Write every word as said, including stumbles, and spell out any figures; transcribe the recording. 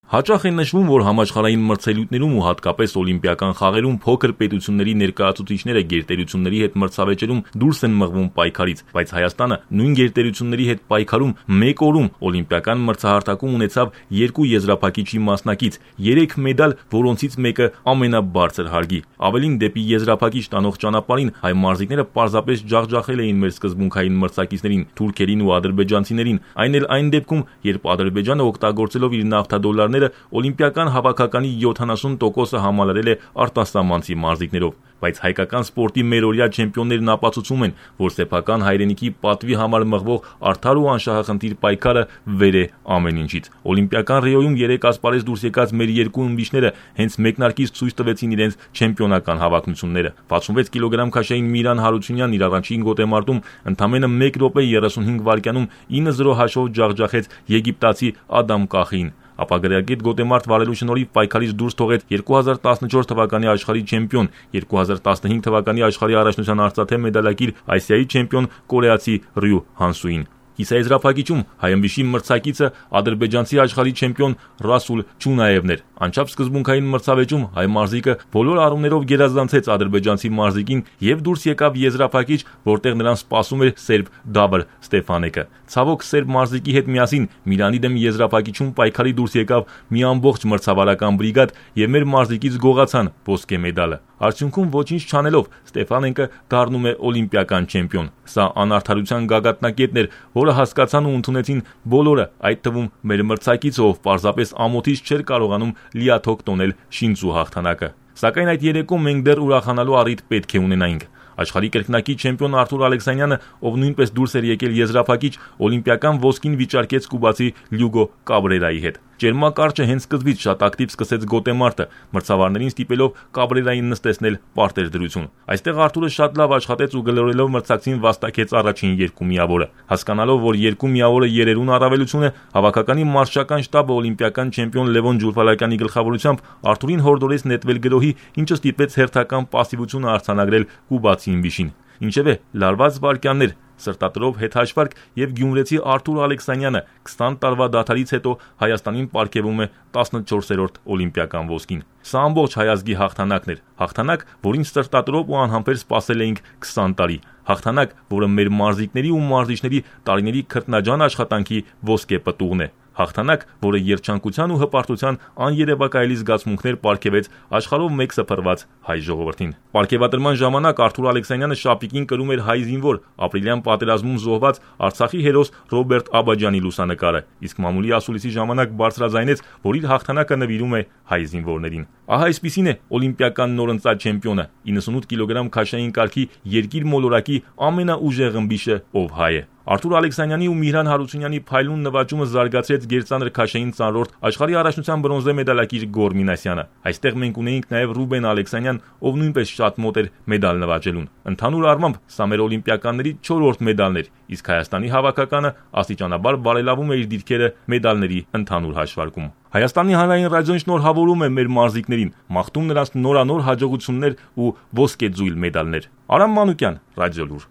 Հաճախ է նշվում, որ համաշխարհային մրցելույթներում ու հատկապես օլիմպիական խաղերում փոքր պետությունների ներկայացուցիչները գերտերությունների հետ մրցավեճերում դուրս են մղվում պայքարից, բայց Հայաստանը նույն գերտերությունների հետ պայքարում մեկ օրում օլիմպիական մրցահարթակում ունեցավ երկու եզրափակիչի մասնակից, երեք մեդալ, որոնցից մեկը ամենաբարձր հարգի։ Ավելին, դեպի եզրափակիչ տանող ճանապարհին հայ մարզիկները պարզապես ջախջախել էին մեր սկզբունքային մրցակիցներին՝ թուրքերին ու ադրբեջանցիներին, այն էլ այն դեպքում, երբ Ադրբեջանը օգտագործելով իր նավթադոլարները օլիմպիական հավաքականի յոթանասուն տոկոսը համալրել է արտասահմանցի մարզիկներով, բայց հայկական սպորտի մերօրյա չեմպիոններն ապացուցում են, որ սեփական հայրենիքի պատվի համար մղվող արդար ու անշահախնդիր պայքարը վեր է ամեն ինչից։ Օլիմպիական Ռիոյում երեք ասպարեզ դուրս եկած մեր երկու ըմբիշները հենց մեկնարկից ցույց տվեցին իրենց չեմպիոնական հավակնությունները։ վաթսունվեց կիլոգրամ քաշային Միրան Հարությունյանն իր առաջին գոտեմարտում ընդամենը մեկ րոպե երեսունհինգ վայրկյանում ինը զրո հաշվով ջախջախեց եգիպտացի Ադամ Կախիին, ապա գրագետ գոտեմարտ վարելու շնորհիվ պայքարից դուրս թողեց երկու հազար տասնչորս թվականի աշխարհի չեմպիոն, երկու հազար տասնհինգ թվականի աշխարհի առաջնության արծաթե մեդալակիր Ասիայի չեմպիոն կորեացի Ռյու Հանսուին։ Կիսաեզրափակիչում հայ ըմբիշի մրցակիցը ադրբեջանցի աշխարհի չեմպիոն Ռասուլ Չունաևն էր։ Անչափ սկզբունքային մրցավեճում հայ մարզիկը բոլոր առումներով գերազանցեց ադրբեջանցի մարզիկին եւ դուրս եկավ եզրափակիչ, որտեղ նրան սպասում էր սերբ Դաբր Ստեփանեկը։ Ցավոք, սերբ մարզիկի հետ միասին Միրանի դեմ եզրափակիչում պայքարի դուրս եկավ մի ամբողջ մրցավարական բրիգադ եւ մեր մարզիկից գողացան ոսկե մեդալը։ Արդյունքում ոչինչ չանելով Ստեփանենկը դառնում է օլիմպիական չեմպիոն։ Սա անարդարության գագաթնակետն էր, որը հասկացան ու ընդունեցին բոլորը, այդ թվում մեր մրցակիցը, ով պարզապես ամոթից չէր կարողանում լիաթոք տոնել շինծու հաղթանակը։ Սակայն այդ երեկոմ մենք դեռ ուրախանալու առիթ պետք է ունենայինք։ Աշխարհի կրկնակի չեմպիոն Արթուր Ալեքսանյանը, ով նույնպես դուրս էր եկել եզրափակիչ, օլիմպիական ոսկին վիճարկեց կուբացի Լյուգո Կաբրերայի հետ։ Ճերմակարճը հենց սկզբից շատ ակտիվ սկսեց գոտեմարտը, մրցավարներին ստիպելով Կաբրերային նստեցնել պարտեր դրություն։ Այստեղ Արթուրը շատ լավ աշխատեց ու գլորելով մրցակցին վաստակեց առաջին երկու միավորը։ Հասկանալով, որ երկու միավորը երերուն առավելություն է, հավաքականի մարշչական շտաբը օլիմպիական չեմպիոն Լևոն Ջուլֆալակյանի գլխավորությամբ Արթուրին հորդորեց նետվել գրոհի, ինչը ստիպեց հերթական պասիվությունը արձանագրել կուբացի ըմբիշին։ Ինչևէ, լարված վայրկյաններ, սրտատրով հետհաշվարկ եւ գյումրեցի Արթուր Ալեքսանյանը քսան տարվա դադարից հետո Հայաստանին պարգևում է տասնչորսերորդ օլիմպիական ոսկին։ Սա ամբողջ հայ ազգի հաղթանակն էր, հաղթանակ, որին սրտատրով ու անհամբեր սպասել էինք քսան տարի, հաղթանակ, որը մեր մարզիկների ու մարզիչների տարիների քրտնաջան աշխատանքի ոսկե պտուղն է, հաղթանակ, որը երջանկության ու հպարտության աներևակայելի զգացմունքներ պարգևեց աշխարհով մեկ սփռված հայ ժողովրդին։ Պարգևատրման ժամանակ Արթուր Ալեքսանյանը շապիկին կրում էր հայ զինվոր, ապրիլյան պատերազմում զոհված Արցախի հերոս Ռոբերտ Աբաջյանի լուսանկարը, իսկ մամուլի ասուլիսի ժամանակ բարձրաձայնեց, որ իր հաղթանակը նվիրում է հայ զինվորներին։ Ահա այսպիսին է օլիմպիական նորընծած չեմպիոնը, իննսունութ կիլոգրամ քաշային կարգի երկիր մոլորակի ամենաուժեղ ըմբիշը, ով հայ է։ Արթուր Ալեքսանյանի ու Միրհան Հարությունյանի փայլուն նվաճումը զարգացրեց գերծանր քաշային ծանրորդ աշխարհի առաջնության բրոնզե մեդալակիր Գոր Մինասյանը։ Այստեղ մենք ունեինք նաև Ռուբեն Ալեքսանյան, ով նույնպես շատ մոտ էր մեդալ նվաճելուն։ Ընդհանուր առմամբ սա մեր օլիմպիականների չորրորդ մեդալն էր, իսկ Հայաստանի հավաքականը աստիճանաբար բարելավում է իր դիրքերը մեդալների ընդհանուր հաշվարկում։ Հայաստանի հանրային ռադիոն շնորհավորում է մեր մարզիկներին, մաղթում նրանց նորանոր հաջողություններ ու ոսկե ձույլ մեդալներ։ Արամ Մանուկյան, Ռադիոլուր։